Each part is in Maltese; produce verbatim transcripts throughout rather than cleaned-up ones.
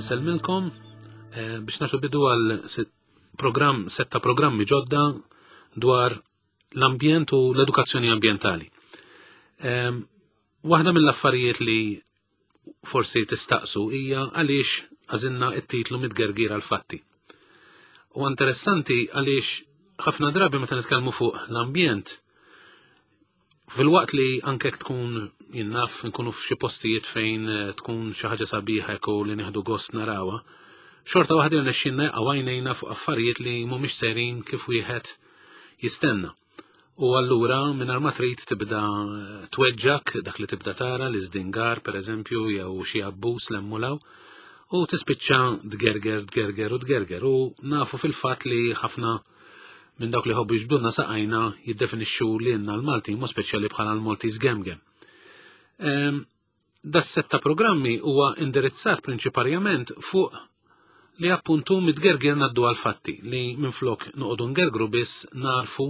Insellmilkom eh, biex nagħtu bidu għal programm, setta programmi ġodda dwar l-ambjent u l-edukazzjoni ambjentali. Ehm, waħda mill-affarijiet li forsi tistaqsu hija għaliex għażilna it-titlu "Mitgergir għal fatti". U interessanti għaliex ħafna drabi meta nitkellmu fuq l-ambjent, filwaqt li anke tkun jinnaf nkunu f'xi postijiet fejn eh, tkun xi ħaġa sabiħa u li nieħdu gost narawha, xorta waħda jirnexxinna għajnejna fuq affarijiet li mhumiex sejrin kif wieħed jistenna. U allura mingħajr ma trid tibda eh, tweġġak dak li tibda tara li żdingar, pereżempju, jew xi abbuż lemmulaw, u tispiċċa tgerger, tgerger u tgerger, u nafu fil-fatt li ħafna minn dawk li ħobbu jiġbdulna saqajna jiddefinixxu li jenna l-Malti mu speċjali bħala l-Maltese Gemgem. Ehm, Das-sett ta' programmi huwa indirizzat prinċiparjament fuq li appuntu mitgerger naddu għal-fatti, li minflok noqogħdu ngergru biss, narfu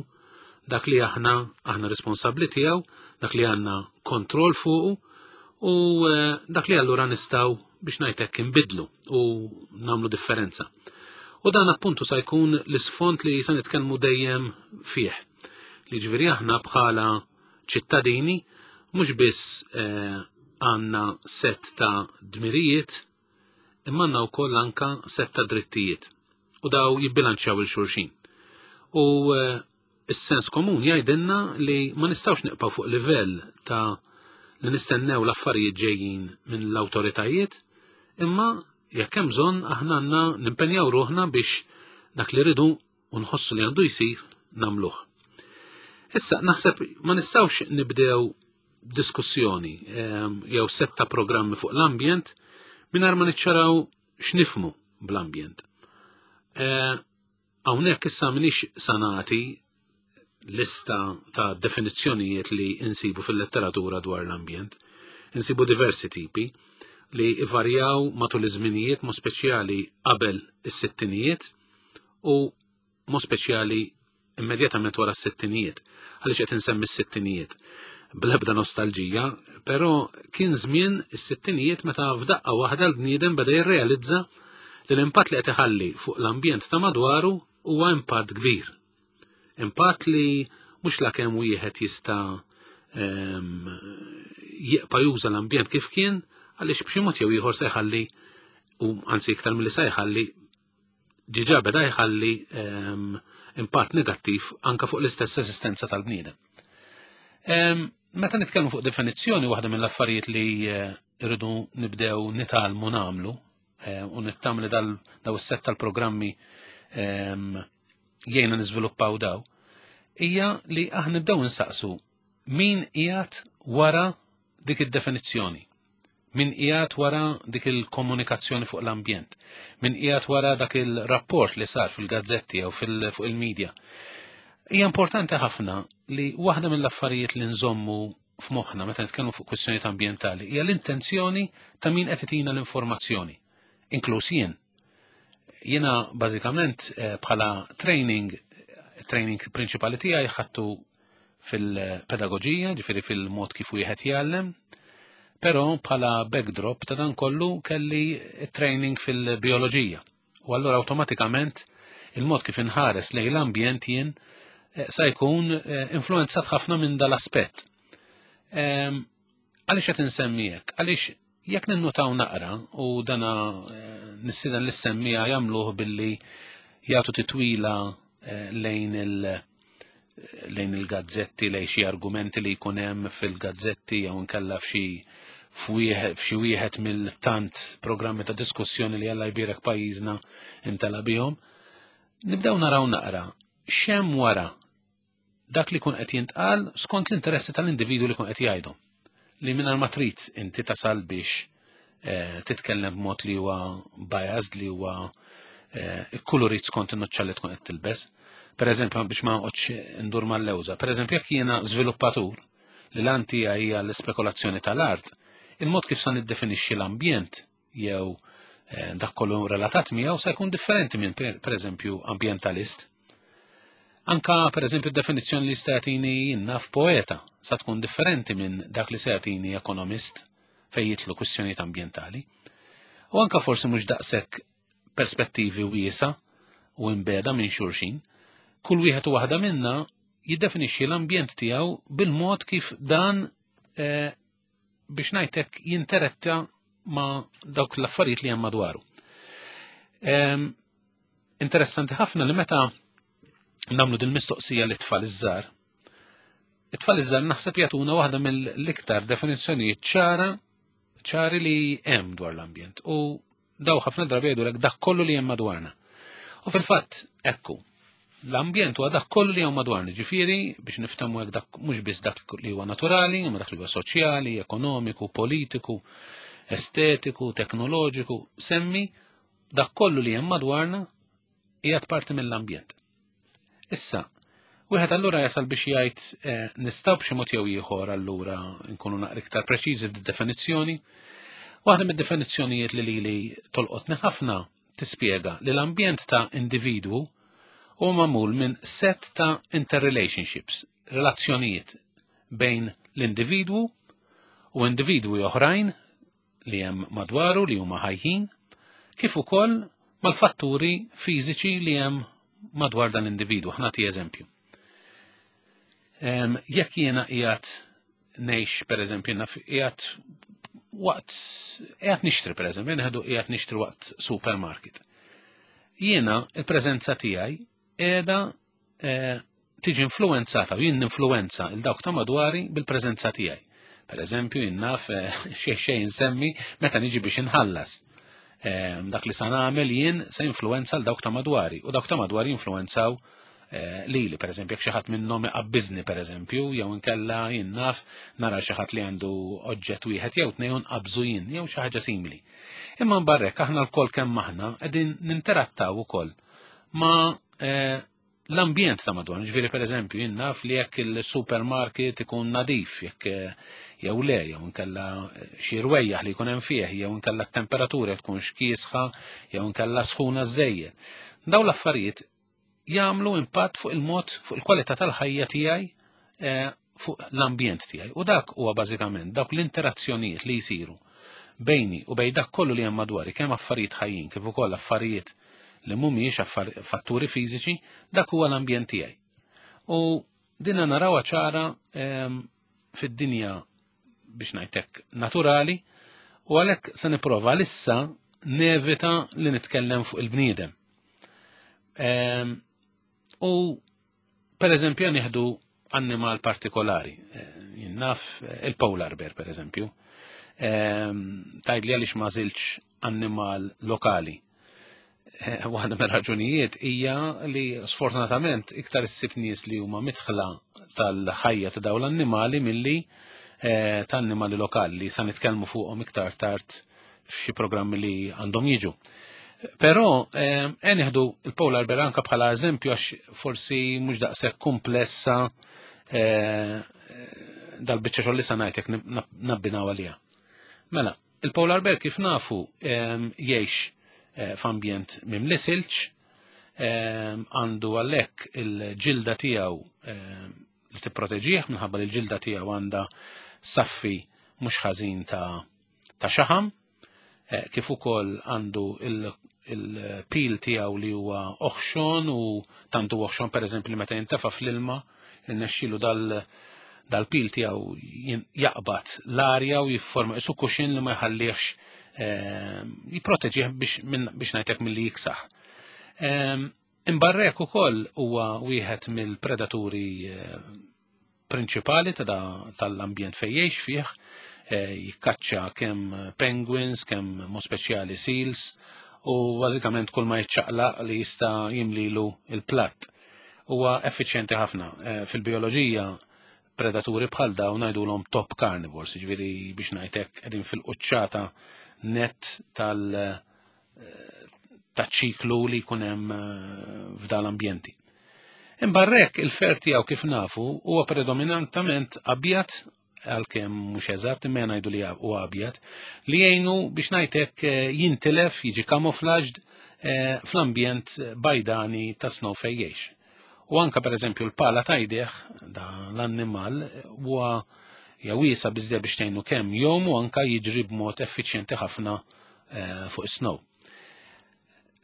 dak li aħna aħna responsabbli tiegħu, dak li għandna kontroll fuqu u eh, dak li allura nistgħu, biex ngħidlek, inbidlu u nagħmlu differenza. U dan appuntu sa jkun l-isfond li sa nitkellmu dejjem fih. Li ġifieri aħna bħala ċittadini mhux biss eh, għandna set ta' dmirijiet, imma għandna wkoll anka set ta' drittijiet. U daw jibbilanċjaw lil xulxin. U eh, is-sens komun jgħidilna li ma nistgħux nibqgħu fuq livell ta' li nistennew l-affarijiet ġejjin minn l-awtoritajiet, imma jekk hemm bżonn aħna għandna nimpenjaw ruħna biex dak li rridu u nħossu li għandu jsir nagħmluh. Issa naħseb ma nistgħux nibdew diskussjoni ehm, jew setta programmi fuq l-ambjent mingħajr ma niċċaraw x'nifhmu bl-ambjent. Eh, hawnhekk issa m'iniex sa nagħti lista ta' definizzjonijiet li insibu fil-letteratura dwar l-ambjent. Insibu diversi tipi li ivarjaw matul iż-żminijiet, mod speċjali qabel is-sittinijiet u mod speċjali immedjatament wara s-sittinijiet. Għaliex qed insemmi s-sittinijiet? Bl-ebda nostalġija, però kien żmien is-sittinijiet meta f'daqqa waħda l-bniedem beda jirrealizza li l-impatt li qed iħalli fuq l-ambjent ta' madwaru huwa impatt kbir. Impatt li mhux la kemm wieħed jista' ehm, jibqa' juża l-ambjent kif kien, għaliex b'xi mod jew ieħor se jħalli, u anzi iktar milli se jħalli, diġà beda jħalli ehm, impatt negattiv anka fuq l-istess esistenza tal-bniedem. Ehm, meta nitkellmu fuq definizzjoni, waħda mill-affarijiet li eh, irridu nibdew nitgħallmu nagħmlu eh, u nittama li daw is-set tal-programmi ehm, jgħinna niżviluppaw daw, hija li aħna nibdew nsaqsu min qiegħed wara dik id-definizzjoni, min qiegħed wara dik il-komunikazzjoni fuq l-ambjent, min qiegħed wara dak il-rapport li sar fil-gazzetti jew fuq il-medja. Hija importanti ħafna li waħda mill-affarijiet li nżommu f'moħħna meta nitkellmu fuq kwistjonijiet ambjentali hija l-intenzjoni ta' min qed itina l-informazzjoni, inkluż jien. Jiena bażikament eh, bħala training, training prinċipali tiegħi ħadtu fil-pedagoġija, ġifieri fil-mod kif wieħed jgħallem, però bħala backdrop ta' dan kollu kelli training fil-bioloġija. U allura awtomatikament il-mod kif inħares lejn l-ambjent jien eh, sa jkun eh, influenzat ħafna minn dal-aspett. Ehm, għaliex qed insemmi hekk? Għaliex jekk ninnutaw naqra, u dana eh, nistieden lis-semmiegħa jagħmluh billi jagħtu titwila lejn il- lejn il-gazzetti, lejn xi argumenti li jkun hemm fil-gazzetti jew inkella f'xi f'xi wieħed mill-tant programmi ta' diskussjoni li Alla jbierek pajjiżna intela bihom. Nibdew naraw naqra x'hemm wara dak li kun qed jintqal skont l-interessi tal-individu li kun qed jgħidu. Li mingħajr ma trid inti tasal biex eh, titkellem b'mod li huwa biased, li huwa eh, ikkulurit skont in-nuċċa li tkun qed tilbes. Per eżempju, biex ma noqgħodx ndur mal-lewża, per eżempju, jekk jiena żviluppatur li l-għan tiegħi hija l-ispekulazzjoni tal-art, il-mod kif sa niddefinixxi l-ambjent jew eh, dak kollu relatat miegħu sa jkun differenti minn, per eżempju, ambjentalist. Anka, per eżempju, definizzjoni li jista' jagħtini naf poeta sa tkun differenti minn dak li se jagħtini ekonomist fejn jidħlu kwistjonijiet ambjentali. U anka forsi mhux daqshekk perspettivi wiesa u imbeda minn xulxin. Kull wieħed u waħda minna jiddefinixxi l-ambjent tiegħu bil-mod kif dan eh, biex ngħidlek jinteratta ma' dawk l-affarijiet li hemm madwaru. Em, interessanti ħafna li meta nagħmlu din mistoqsija li tfal iż-żgħar, it-tfal iż-żgħar naħseb jagħtuna waħda mill-iktar definizzjonijiet ċara ċari li hemm dwar l-ambjent. U daw ħafna drabi jgħidulek dak kollu li hemm madwarna. U fil-fatt, ekku, l-ambjent huwa dak kollu li hemm madwarna, ġifieri biex niftehmu hekk dak mhux biss dak li huwa naturali, imma dak li huwa soċjali, ekonomiku, politiku, estetiku, teknoloġiku, semmi dak kollu li hemm madwarna qiegħed parti mill-ambjent. Issa, wieħed allura jasal biex jgħid eh, nistgħu b'xi mod jew ieħor allura nkunu naqra iktar preċiżi fid-definizzjoni. Waħda mid-definizzjonijiet li lili tolqotni ħafna tispjega li l-ambjent ta' individwu huwa magħmul minn set ta' interrelationships, relazzjonijiet bejn l-individwu u individwi oħrajn li hemm madwaru li huma ħajjin, kif ukoll mal-fatturi fiżiċi li hemm madwar dan l-individwu. Ħa nagħti eżempju. Em, Jekk jiena qiegħed ngħix pereżempju naf qiegħed waqt qiegħed nixtri pereżempju, nieħdu qiegħed nixtri waqt supermarket. Jiena il-preżenza tiegħi qiegħda eh, tiġi influenzata u jien ninfluenza il dawk ta' madwari bil-preżenza tiegħi. Per eżempju, jien naf eh, xejn xejn nsemmi meta niġi biex inħallas. Eh, dak li sa nagħmel jien se influenza l dawk ta' madwari u dawk ta' madwari influenzaw eh, lili, per eżempju, jekk xi ħadd minnhom iqabbiżni per eżempju, jew inkella jien naf nara xi ħadd li għandu oġġett wieħed jew tnejn nqabżu jien, jew xi ħaġa simili. Imma mbarrek aħna lkoll kemm aħna qegħdin ninterattaw ukoll ma' eh, l-ambjent ta' madwar, ġifieri per eżempju, jien naf li jekk il-supermarket ikun nadif, jekk eh, jew le, jew inkella eh, xi rwejjaħ li jkun hemm fih, jew inkella t-temperatura tkun kiesħa, jew inkella sħuna żejjed. Daw l-affarijiet jagħmlu impatt fuq il-mod, fuq il-kwalità tal-ħajja tiegħi, eh, fuq l-ambjent tiegħi. U dak huwa bażikament dawk l-interazzjonijiet li jsiru bejni u bejn dak kollu li hemm madwari, kemm affarijiet ħajjin kif ukoll affarijiet li mhumiex fatturi fiżiċi, dak huwa l-ambjent tiegħi. U dinna narawha ċara ehm, fid-dinja biex ngħidlek naturali u għalhekk se nipprova lissa nevita li nitkellem fuq il-bniedem. Ehm, u per eżempju nieħdu annimal partikolari, eh, jien naf eh, il-polar bear per eżempju. Ehm, tgħidli għaliex ma żilx annimal lokali. Eh, waħda mir-raġunijiet hija li sfortunatament iktar issib nies li huma midħla tal-ħajja ta' dawn l-annimali milli eh, ta' annimali lokali li sa nitkellmu fuqhom iktar tard f'xi programmi li għandhom jiġu. Però eh, nieħdu il-polar bear anka bħala eżempju għax forsi mhux daqshekk komplessa eh, dal-biċċa xogħol li sa ngħidlek nabbinaw għaliha. Mela, il-polar bear kif nafu jgħix eh, f'ambjent mimli silġ, għandu għalhekk il-ġilda tiegħu li tipproteġih minħabba li l-ġilda tiegħu għandha saffi mhux ħażin ta' ta' xaħam, eh, kif ukoll għandu il-pil tiegħu li huwa oħxon u tantu oħxon pereżempju li meta jintefa' fl-ilma irnexxielu dal dal-pil tiegħu jaqbad l-arja u jifforma isu kuxin li ma jħallix eh, jipproteġih biex biex ngħidlek milli jiksaħ. Imbarrek ukoll huwa wieħed mill-predaturi eh, prinċipali ta' tal-ambjent fejn jgħix fih, eh, jikkaċċa kemm penguins, kemm mo speċjali seals, u bażikament kull ma jiċċaqlaq li jista' jimlilu il-platt. Huwa effiċjenti ħafna. Eh, fil-bioloġija predaturi bħal dawn ngħidulhom top carnivores, jiġifieri biex ngħidlek qegħdin fil-quċċata net tal- ta' ċiklu li jkun hemm f'dan l-ambjenti. Imbarrek il-fer tiegħu kif nafu huwa predominantament abjad għalkemm mhux eżatt imma ngħidu li huwa abjad li jgħinu biex ngħidlek eh, jintilef jiġi camouflaged eh, fl-ambjent bajdani ta' snow fejn jgħix. U anka per eżempju l-pala ta' jdejh da l-annimal huwa hija wiesa biżżejjed biex tgħinu kemm jom u anka jiġri b'mod effiċjenti ħafna eh, fuq is-snow.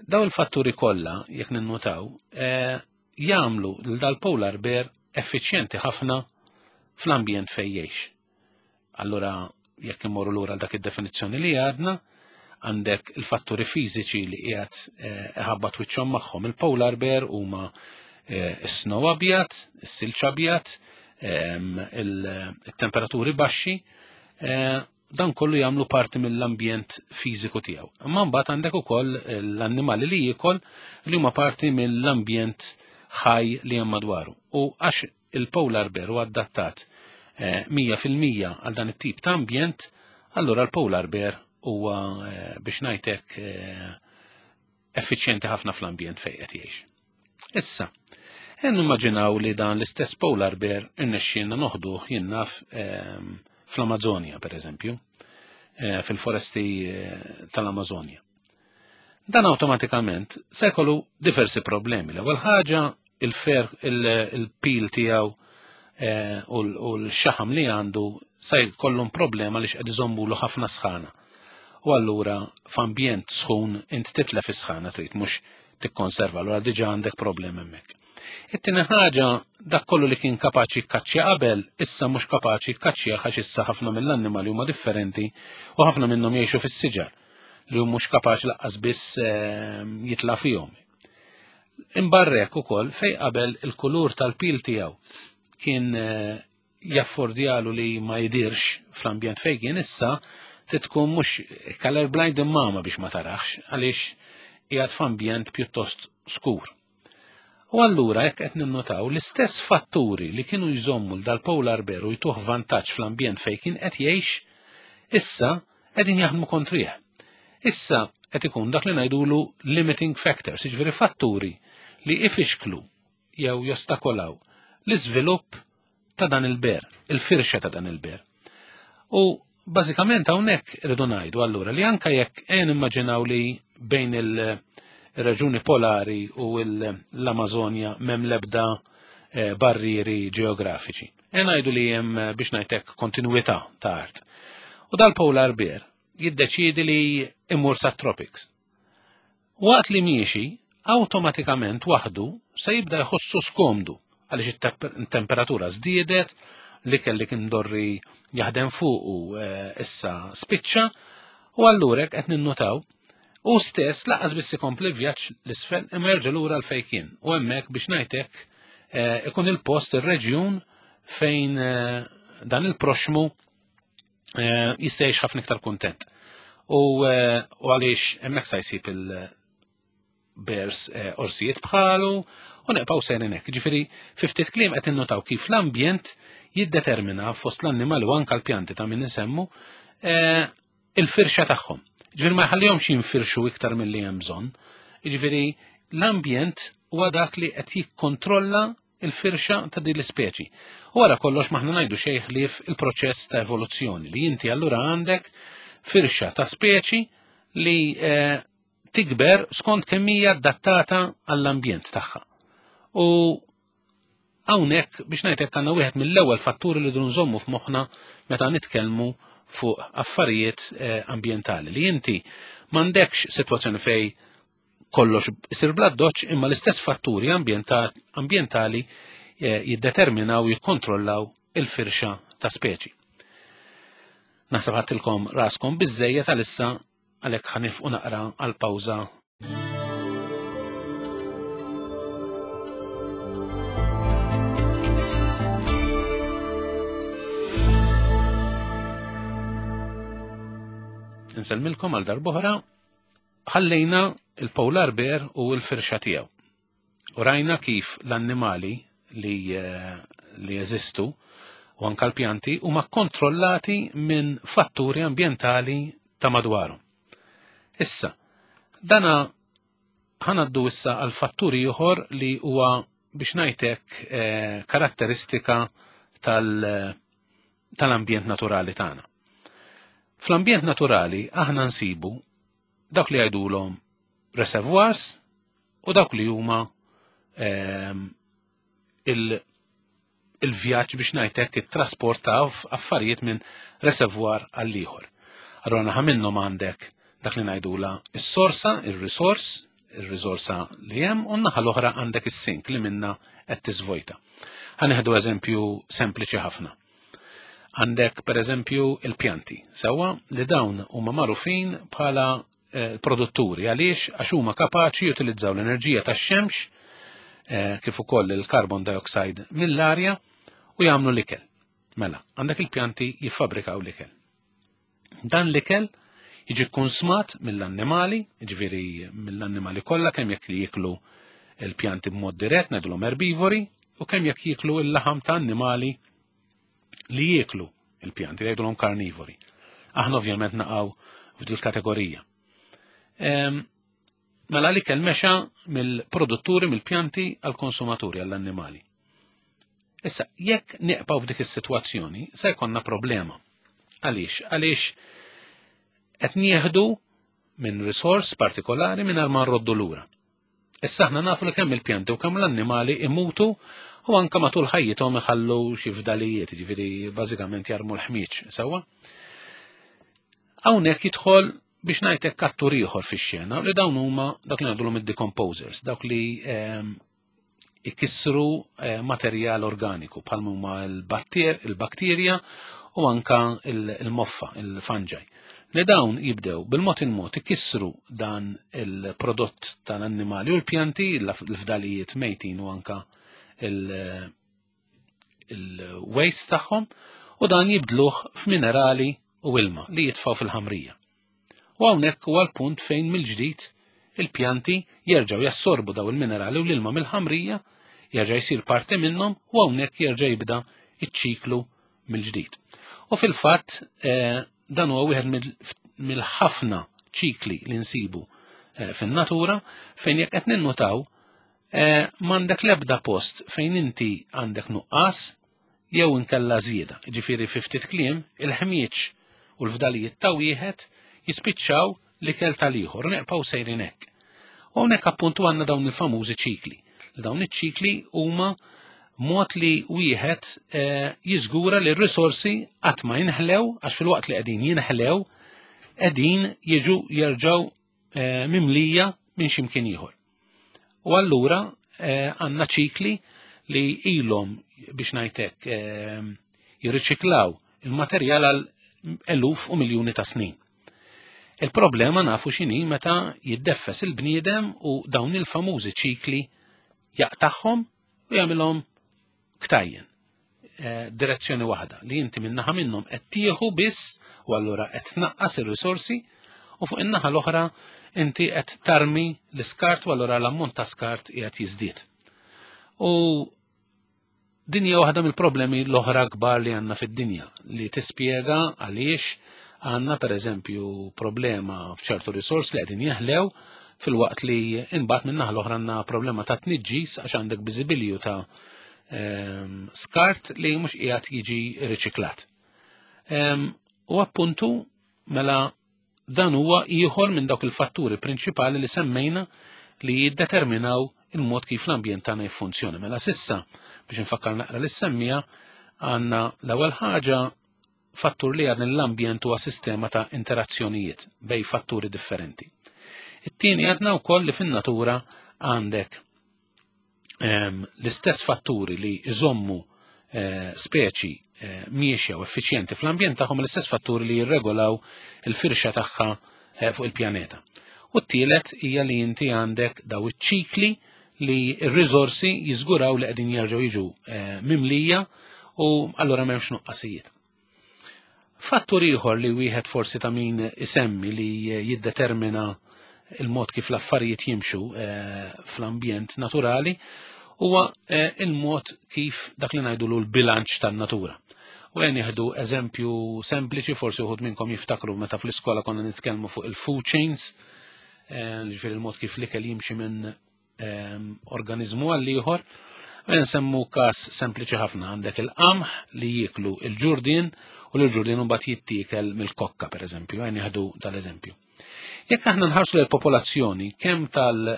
Daw il-fatturi kollha, jekk ninnutaw, eh, jagħmlu lil dal-polar bear effiċjenti ħafna fl-ambjent fejn jgħix. Allura jekk immorru lura dak id-definizzjoni li għadna, għandek il-fatturi fiżiċi li qiegħed eh, iħabbat wiċċhom magħhom. Il-polar bear huma eh, is-snow abjad, is-silġ abjad, ehm, il-temperaturi baxxi, dan kollu jagħmlu parti mill-ambjent fiżiku tiegħu. Imma mbagħad għandek ukoll l-annimali li jiekol li huma parti mill-ambjent ħaj li hemm madwaru. U għax il-polar bear huwa adattat eh, mija fil-mija għal dan it-tip ta' ambjent, allura l-polar bear huwa eh, biex ngħidlek eh, effiċjenti ħafna fl-ambjent fejn qed jgħix. Issa, ejja nimmaġinaw li dan l-istess polar bear irnexxielna noħduh jien naf ehm, fl-Amazonja, per eżempju, eh, fil-foresti eh, tal-Amazonja. Dan awtomatikament se jkollu diversi problemi. L-ewwel ħaġa il-fer il-pil tiegħu eh, u l-xaħam li għandu se jkollhom problema li x'qed iżommulu ħafna sħana. U allura f'ambjent sħun int titlef is-sħana trid mhux tikkonserva, allura diġà għandek problemi hemmhekk. It-tieni ħaġa, dak kollu li kien kapaċi jkaċċja qabel, issa mhux kapaċi jkaċċja għax issa ħafna mill-annimali huma differenti u ħafna minnhom jgħixu fis-siġar li hu mhux kapaċi laqqas biss ehm, jitla' fihom. Imbarrek ukoll fej qabel il-kulur tal-pil tiegħu kien eh, jaffordjalu li ma jidirx fl-ambjent fejn kien, issa titkun mhux color blind imma biex ma tarax għaliex qiegħed f'ambjent pjuttost skur. U allura jekk qed ninnotaw l-istess fatturi li kienu jżommu dal-polar bear u jtuh vantaġġ fl-ambjent fejn kien qed jgħix, issa qegħdin jaħdmu kontrih. Issa qed ikun dak li ngħidulu limiting factors, jiġifieri fatturi li ifixklu jew jostakolaw l-iżvilupp ta' dan il-bear, il-firxa ta' dan il-bear. U bażikament hawnhekk irridu ngħidu allura li anke jekk qed nimmaġinaw li bejn il- ir-reġuni polari u l-Amazonja m'hemm lebda eh, barrieri ġeografiċi. E ngħidu li hemm eh, biex ngħidlek kontinuità ta' art. U dal-polar bear jiddeċiedi li imur sa' tropics. Waqt li miexi, awtomatikament waħdu se jibda jħossu skomdu għaliex it-temperatura żdiedet, li kelli kien dorri jaħdem fuq u eh, issa spiċċa, u allura qed ninnotaw u stess lanqas biss ikompli vjaġġ l-isfel imma jerġa' lura l fejn kien. U hemmhekk biex ngħidlek eh, ikun il-post ir-reġjun fejn eh, dan il-proxmu eh, jista' jgħix ħafna iktar kuntent. U għaliex hemmhekk sa jsib il-bears orsijiet bħalu u neqpaw sejrin hekk. Ġifieri fi ftit kliem qed innotaw kif l-ambjent jiddetermina fost l-annimali u anka l-pjanti ta' min insemmu il-firxa tagħhom. Ġifieri ma jħallihomx jinfirxu iktar milli hemm bżonn. Ġifieri l-ambjent huwa dak li qed jikkontrolla il-firxa ta' din l-ispeċi. U wara kollox m'aħna ngħidu xejn ħlief il-proċess ta' evoluzzjoni li inti allura għandek firxa ta' speċi li eh, tikber skont kemm hija adattata għall-ambjent tagħha. U hawnhekk biex ngħidlek għandna wieħed mill-ewwel fatturi li nżommu f'moħħna meta nitkellmu fuq affarijiet eh, ambjentali li inti m'għandekx sitwazzjoni fej kollox isir bla doċ imma l-istess fatturi ambjentali eh, jiddeterminaw jikkontrollaw il-firxa ta' speċi. Naħseb ħadtilkom raskom biżejjed għalissa, għalhekk ħa nieqfu naqra għal pawża. Insellmilkom għal darb'oħra. Ħallejna il-polar bear u l-firxa tiegħu. U rajna kif l-annimali li, eh, li jeżistu u anka l-pjanti huma kontrollati minn fatturi ambjentali ta' madwarhom. Issa, dana ħa ngħaddu issa għal fatturi ieħor li huwa biex ngħidlek eh, karatteristika tal- tal-ambjent naturali tagħna. Fl-ambjent naturali aħna nsibu dak li jgħidulhom reservoirs u dawk li huma ehm, il-vjaġġ biex ngħidlek it-trasport ta' affarijiet minn reservoir għal ieħor. Allura naħa minnhom għandek Dak li ngħidula is-sorsa, ir-resource, ir-riżorsa li hemm, u n-naħa l-oħra għandek is-sink li minna qed tiżvojta. Ħa nieħdu eżempju sempliċi ħafna. Għandek per eżempju il-pjanti, sewwa, li dawn huma magħrufin bħala eh, produtturi. Għaliex? Għax huma kapaċi jutilizzaw l-enerġija tax-xemx eh, kif ukoll il-carbon dioxide mill-arja u jagħmlu l-ikel. Mela, għandek il-pjanti jiffabrikaw l-ikel. Dan l-ikel jiġi konsmat mill-annimali, ġifieri mill-annimali kollha, kemm jekk li jiklu il-pjanti b'mod dirett, ngħidulhom erbivori, u kemm jekk jiklu il-laħam ta' annimali li jieklu il-pjanti, jgħidulhom karnivori. Aħna ovvjament naqgħu f'dil kategorija. Mela l-ikel mexa mill-produtturi, mill-pjanti għall-konsumaturi, għall-annimali. Issa, jekk neqpaw f'dik is-sitwazzjoni, se jkollna problema. Għaliex? Għaliex qed nieħdu minn resource partikolari minn ma nroddu lura. Issa aħna nafu li kemm il-pjanti u kemm l-annimali imutu u anka matul ħajjithom iħallu xi fdalijiet, ġifieri bażikament jarmu l-ħmieġ, sewwa. Hawnhekk jidħol, biex ngħidlek, attur ieħor fix-xena, li dawn huma dak li ngħidulhom id-decomposers, dawk li ehm, ikissru eh, materjal organiku bħal huma l-bakterja u anka il-moffa, il-fungi. Li dawn jibdew bil-mod il-mod ikissru dan il-prodott tal-annimali u l-pjanti, l-fdalijiet mejtin u anka il-waste tagħhom, u dan jibdluh f'minerali u ilma li jitfaw fil-ħamrija. U hawnhekk huwa l-punt fejn mill-ġdid il-pjanti jerġgħu jassorbu daw il-minerali u l-ilma mill-ħamrija, jerġa' jsir parti minnhom, u hawnhekk jerġa' jibda iċ-ċiklu mill-ġdid. U fil-fatt eh, dan huwa wieħed mill-ħafna ċikli li nsibu eh, fin-natura, fejn jekk qed ninnutaw eh, m'għandek l-ebda post fejn inti għandek nuqqas jew inkella żieda. Ġifieri, fi ftit kliem, il-ħmieġ u l-fdalijiet ta' wieħed jispiċċaw l-ikel tal-ieħor, neqpaw sejrin hekk. U hawnhekk appuntu għandna dawn il-famużi ċikli. Dawn iċ-ċikli huma mod li wieħed eh, jiżgura li r-risorsi qatt ma jinħlew, għax fil-waqt li qegħdin jinħlew qegħdin jiġu jerġgħu eh, mimlija minn x'imkien ieħor. U allura eh, għandna ċikli li ilhom, biex ngħidlek, jirriċiklaw il-materjal għal eluf u miljuni ta' snin. Il-problema nafu x'inhi meta jiddeffes il-bniedem u dawn il-famużi ċikli jaqtagħhom u jagħmilhom ktajjen. Eh, direzzjoni waħda li inti minnaħa minnhom qed tieħu biss u allura qed tnaqqas ir-risorsi, u fuq in-naħa l-oħra inti qed tarmi l-iskart u allura l-ammont ta' skart qiegħed jiżdied. U din hija waħda mill-problemi l-oħra kbar li għandna fid-dinja, li tispjega għaliex għandna per eżempju problema f'ċertu risors li qegħdin jeħlew, fil-waqt li imbagħad min-naħa l-oħra għandna problema ta' tniġġis, għax għandek biżibilju ta' ehm, skart li mhux qiegħed jiġi riċiklat. Ehm, u appuntu mela dan huwa ieħor minn dawk il-fatturi prinċipali li semmejna li jiddeterminaw il-mod kif l-ambjent tagħna jiffunzjona. Mela s'issa, biex nfakkar naqra li semmija, għandna l-ewwel ħaġa fattur li għadna l-ambjent huwa sistema ta' interazzjonijiet bejn fatturi differenti. It-tieni, għadna wkoll li fin-natura għandek ehm, l-istess fatturi li iżommu eh, speċi eh, miexja u effiċjenti fl-ambjent tagħhom, l-istess fatturi li jirregolaw il-firxa tagħha eh, fuq il-pjaneta. U t-tielet hija li inti għandek daw iċ-ċikli li r-riżorsi jiżguraw li qegħdin jerġgħu jiġu mimlija u allura m'hemmx nuqqasijiet. Fattur ieħor li wieħed forsi ta' min isemmi li jiddetermina il-mod kif l-affarijiet jimxu eh, fl-ambjent naturali huwa eh, il-mod kif dak li ngħidu l-bilanċ tan-natura. U għen jieħdu eżempju sempliċi, forsi uħud minnkom jiftakru meta fl-iskola konna nitkellmu fuq il-food chains, eh, ġifieri il-mod kif l-ikel jimxi minn organizmu għal ieħor. Nsemmu kas sempliċi ħafna: għandek il-qamħ li jiklu il-ġurdin u l-ġurdin mbagħad jittiekel mill-kokka, per eżempju, għen jieħdu tal-eżempju. Jekk aħna nħarsu l-popolazzjoni kemm tal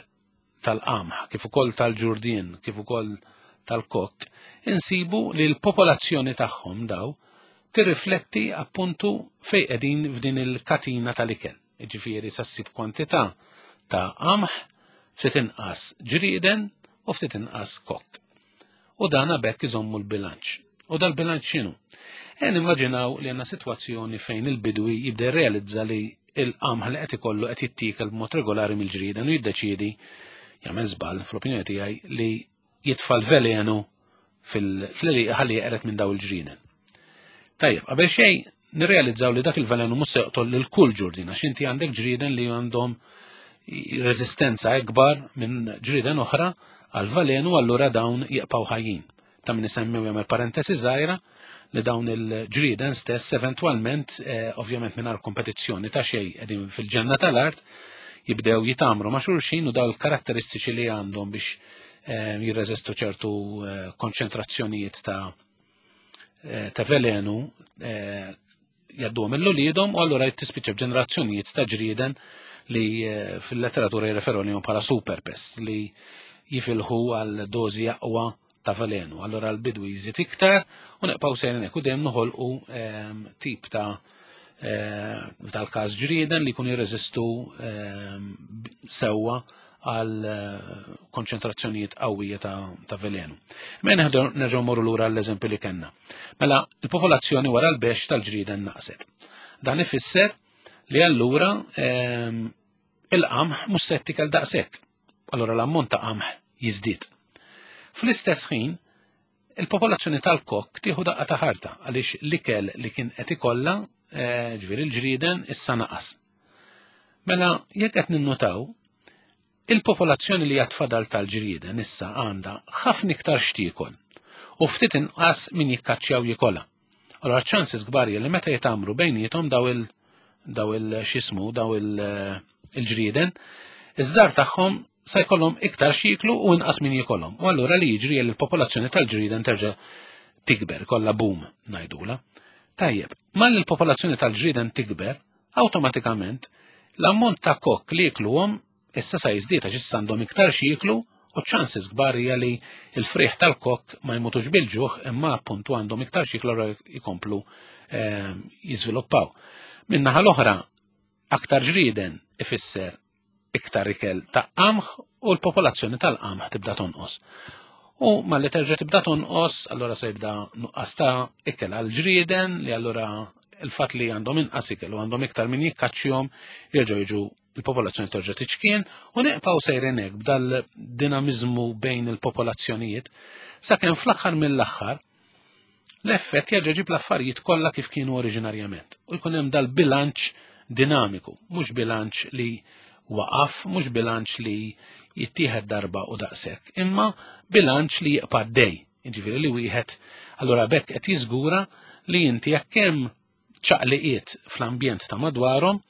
tal-qamħ, kif ukoll tal-ġurdien, kif ukoll tal-kokk, insibu li l-popolazzjoni tagħhom daw tirrifletti appuntu fej qegħdin f'din il-katina tal-ikel. Jiġifieri sa ssib kwantità ta' qamħ, ftit inqas ġrieden u ftit inqas kokk. U dan bekk iżommu l-bilanċ. U dal-bilanċ x'inhu? E nimmaġinaw li għandna sitwazzjoni fejn il-bidwi jibda jirrealizza li il-qamħ li qed ikollu qed jittiekel b'mod regolari mill-ġrieden u jiddeċiedi, jagħmel żball fl-opinjoni tiegħi, li jitfa' l-velenu fil-għelieqi ħalli jeqred minn daw il-ġrieden. Tajjeb, qabel xejn nirrealizzaw li dak il-velenu mhux se joqtol lil kull ġurdin, għax inti għandek ġrieden li għandhom reżistenza ikbar minn ġrieden oħra għal velenu, allura dawn jibqgħu ħajjin. Ta' min isemmi u jagħmel parentesi żgħira li dawn il-ġrieden stess eventwalment, eh, ovvjament mingħajr kompetizzjoni ta' xejn, qegħdin fil-ġenna tal-art, jibdew jitamru ma' xulxin u daw il-karatteristiċi li għandhom biex eh, jirreżistu ċertu eh, konċentrazzjonijiet ta' eh, ta' velenu eh, jgħadduhom lil uliedhom u allura tispiċċa b'ġenerazzjonijiet ta' ġrieden li eh, fil-letteratura jirreferu lihom bħala super pests li jifilħu għal dozi aqwa ta' velenu. Allura l-bidwi jżid iktar u nibqgħu sejrin hekk u dejjem noħolqu ehm, tip ta' eh, f'dal-każ ġrieden li jkunu jirreżistu ehm, sewwa għal eh, konċentrazzjonijiet qawwija ta', ta' velenu. Mela nerġgħu morru lura l-eżempju li kellna. Mela il-popolazzjoni wara l-bexx tal-ġrieden naqset. Dan ifisser li allura ehm, il-qamħ mhux se jittikel daqshekk. Allura l-ammont ta' qamħ jiżdied. Fl-istess ħin, il-popolazzjoni tal-kokk tieħu daqqa ta' ħarta għaliex l-ikel li kien qed ikollha, eh, ġifieri l-ġrieden, issa naqas. Mela jekk qed ninnutaw, il-popolazzjoni li għad fadal tal-ġrieden issa għandha ħafna iktar x'tiekol u ftit inqas min jikkaċċjaw jikolha. Allora ċansis kbar li meta jitamru bejniethom daw il daw il x'ismu daw il-ġrieden, iż-żgħar tagħhom sa jkollhom iktar x'jieklu u inqas min jikolhom. U allura li jiġri li l-popolazzjoni tal-ġrieden terġa' tikber, kollha boom ngħidula. Tajjeb, malli l-popolazzjoni tal-ġrieden tikber, awtomatikament l-ammont ta' kokk li jikluhom issa sa jiżdied għax issa għandhom iktar x'jieklu u ċansis kbar hija li l-frieħ tal-kokk ma jmutux bil-ġuħ imma appuntu għandhom iktar x'jieklu allura jkomplu ehm, jiżviluppaw. Min-naħa l-oħra, aktar ġrieden ifisser iktar ikel ta' qamħ u l-popolazzjoni tal-qamħ tibda tonqos. U malli terġa' tibda tonqos, allura se jibda nuqqas ta' ikel għal ġrieden li allura il-fatt li għandhom inqas ikel u għandhom iktar min jikkaċċjhom jerġgħu jiġu il-popolazzjoni terġa' tiċkien u nibqgħu sejrin hekk b'dal-dinamiżmu bejn il-popolazzjonijiet sakemm fl-aħħar mill-aħħar l-effett jerġa' jġib l-affarijiet kollha kif kienu oriġinarjament. U jkun hemm dal-bilanċ dinamiku, mhux bilanċ li waqaf, mhux bilanċ li jittieħed darba u daqshekk, imma bilanċ li jibqa' dej. Jiġifieri li wieħed allura bekk qed jiżgura li inti jekk hemm ċaqliqiet fl-ambjent ta' madwarhom,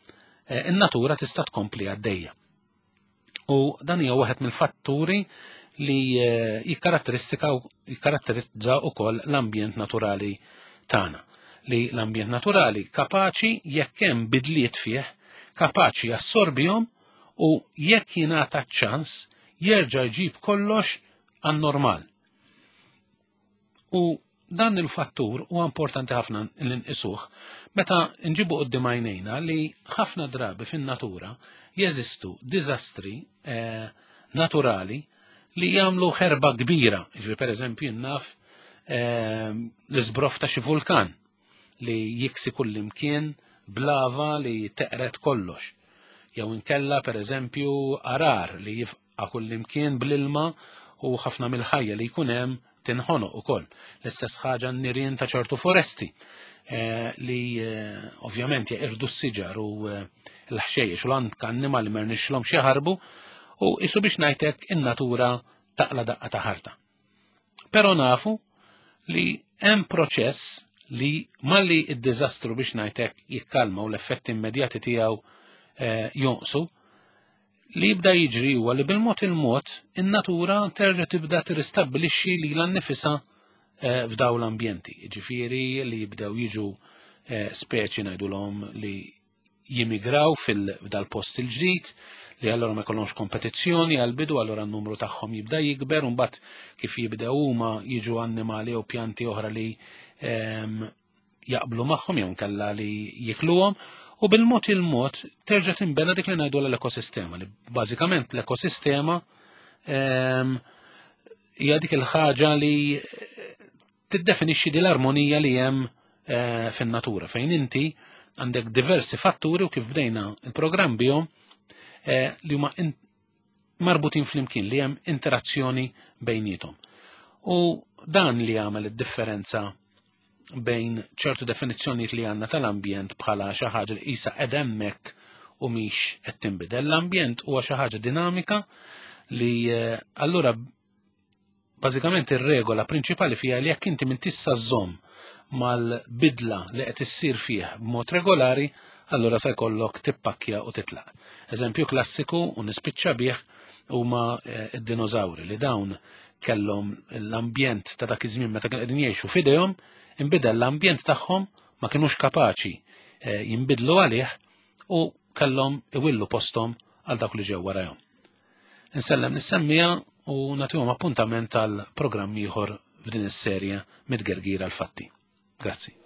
eh, in-natura tista' tkompli għaddejja. U dan hija waħed mill-fatturi li eh, jikkaratteristika jikkaratterizza wkoll l-ambjent naturali tagħna. Li l-ambjent naturali kapaċi jekk hemm bidliet fih, kapaċi jassorbihom u jekk jingħata ċans jerġa' jġib kollox għan-normal. U dan il-fattur huwa importanti ħafna li nqisuh meta nġibu quddiem għajnejna li ħafna drabi fin-natura jeżistu diżastri eh, naturali li jagħmlu ħerba kbira. Jiġifieri pereżempju naf eh, l-iżbroff ta' xi vulkan li jiksi kullimkien b'lava li teqret kollox. Jew inkella pereżempju għargħar li jifqa' kullimkien bl-ilma u ħafna mill-ħajja li jkun hemm tinħonoq ukoll. L-istess ħaġa n-nirien ta' ċertu foresti eh, li eh, ovvjament jeqirdu s-siġar u eh, l-ħxejjex u l-anka annimali ma rnexxilhomx jaħarbu u isu biex ngħidlek in-natura taqla daqqa ta' ħarta. Però nafu li hemm proċess li malli id-diżastru biex ngħidlek jikkalma u l-effetti immedjati tiegħu eh, jonqsu, li jibda jiġri huwa li bil-mod il-mod in-natura terġa' tibda tirristabbilixxi lilha nnifisha eh, f'daw l-ambjenti. Ġifieri li jibdew jiġu eh, speċi ngħidulhom li jimigraw fil-dal-post il-ġdid, li allora ma jkollhomx kompetizzjoni għal-bidu, allora n-numru tagħhom jibda jikber, u mbagħad kif jibdew huma jiġu annimali u pjanti oħra li ehm, jaqblu magħhom jew nkella li jikluhom, U bil-mod il-mod terġa' tinbena dik li ngħidu l-ekosistema, li bażikament l-ekosistema ehm, hija dik il-ħaġa li tiddefinixxi di l-armonija li hemm eh, fin-natura, fejn inti għandek diversi fatturi, u kif bdejna il-programm bihom, eh, li huma marbutin flimkien, li hemm interazzjoni bejnietom. U dan li għamel id-differenza bejn ċertu definizzjonijiet li għandna tal-ambjent bħala xi ħaġa li qisha qed hemmhekk u mhix qed tinbidel. L-ambjent huwa xi ħaġa dinamika li eh, allura bażikament ir-regola prinċipali fiha li jekk inti m'intix sa żżomm mal-bidla li qed issir fih b'mod regolari, allura se jkollok tippakkja u titlaq. Eżempju klassiku u nispiċċa bih huma eh, id-dinożawri, li dawn kellhom l-ambjent ta' dak iż-żmien meta kienu qegħdin jgħixu f'idejhom, inbidel l-ambjent tagħhom, ma kinux kapaċi eh, jinbidlu għalih u kellhom iwillu posthom għal dawk li ġew warahom. Insellem lis-semmiegħa u nagħtihom appuntament tal programm ieħor f'din is-serje Mit-Tgergir għall-Fatti. Grazzi.